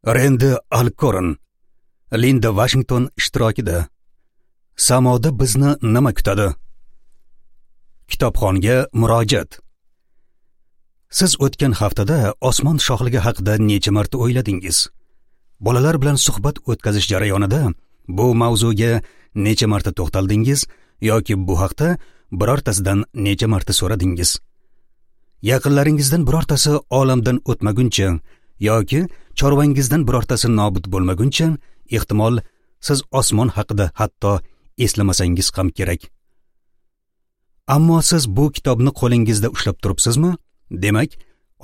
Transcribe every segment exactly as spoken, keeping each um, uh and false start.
Rendi Alkoron, Linda Vashington ishtirokida. Samoda bizni nima kutadi? Kitobxonga murojaat. Siz o'tgan haftada osmon shohligi haqida necha marta o'yladingiz? Bolalar bilan suhbat o'tkazish jarayonida bu mavzuga necha marta to'xtaldingiz yoki bu haqda birortasidan necha marta so'radingiz? Yaqinlaringizdan birortasi olamdan o'tmaguncha yoki chorvangizdan birortasi nobud bo'lmaguncha, ehtimol siz osmon haqida hatto eslamasangiz ham kerak. Ammo siz bu kitobni qo'lingizda ushlab turibsizmi? Demak,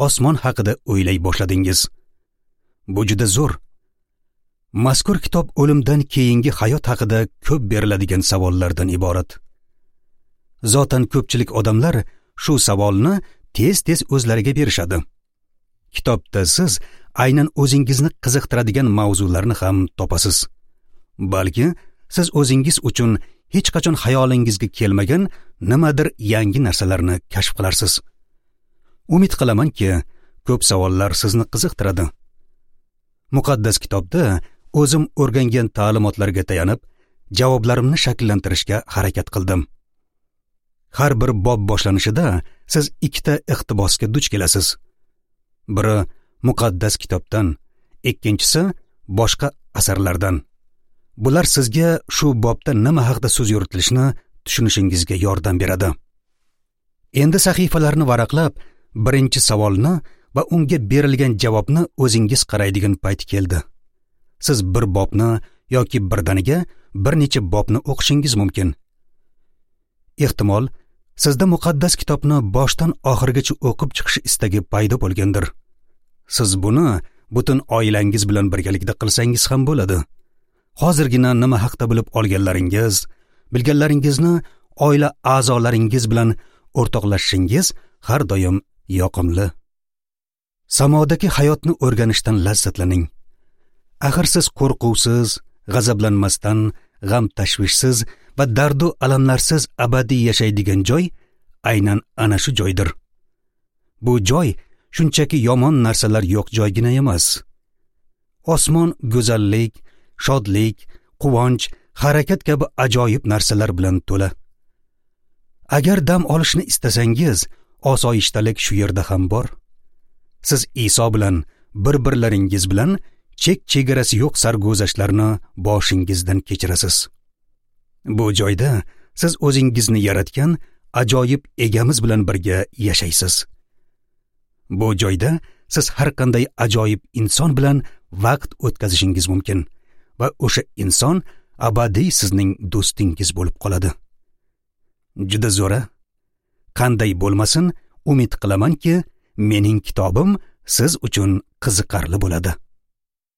osmon haqida o'ylay boshladingiz. Bu juda zo'r. Mazkur kitob o'limdan keyingi hayot haqida ko'p beriladigan savollardan iborat. Zotan ko'pchilik odamlar shu savolni tez-tez o'zlariga berishadi. Kitobda siz aynan o'zingizni qiziqtiradigan mavzularni ham topasiz. Balki siz o'zingiz uchun hech qachon xayolingizga kelmagan nimadir yangi narsalarni kashf qilarsiz. Umid qilamanki, ko'p savollar sizni qiziqtiradi. Muqaddas kitobda o'zim o'rgangan ta'limotlarga tayanib, javoblarimni shakllantirishga harakat qildim. Har bir bob boshlanishida siz ikkita iqtibosga duch kelasiz. Biri muqaddas kitobdan, ikkinchisi boshqa asarlardan. Bular sizga shu bobda nima haqida so'z yuritilishini tushunishingizga yordam beradi. Endi sahifalarni varaqlab, birinchi savolni va unga berilgan javobni o'zingiz qaraydigan payt keldi. Siz bir bobni yoki birdaniga bir necha bobni o'qishingiz mumkin. Ehtimol, sizda muqaddas kitobni boshdan oxirigacha o'qib chiqish istagi paydo bo'lgandir. Siz buni butun oilangiz bilan birgalikda qilsangiz ham bo'ladi. Hozirgina nima haqda bilib olganlaringiz, bilganlaringizni oila a'zolaringiz bilan o'rtoqlashishingiz har doim yoqimli. Samodagi hayotni o'rganishdan lazzatlaning. Axir siz qo'rquvsiz, g'azablanmasdan, g'am tashvishsiz va dardu alamlarsiz abadiy yashaydigan joy aynan ana shu joydir. Bu joy shunchaki yomon narsalar yo'q joygina emas. Osmon go'zallik, shodlik, quvonch, harakat kabi ajoyib narsalar bilan to'la. Agar dam olishni istasangiz, osoyishtalik shu yerda ham bor. Siz Iso bilan, bir-birlaringiz bilan chek-chegarasi yo'q sarguzashtlarni boshingizdan kechirasiz. Bu joyda siz o'zingizni yaratgan ajoyib egamiz bilan birga yashaysiz. Bu joyda siz har qanday ajoyib inson bilan vaqt o'tkazishingiz mumkin va o'sha inson abadiy sizning do'stingiz bo'lib qoladi. Juda zo'ra. Qanday bo'lmasin, umid qilamanki, mening kitobim siz uchun qiziqarli bo'ladi.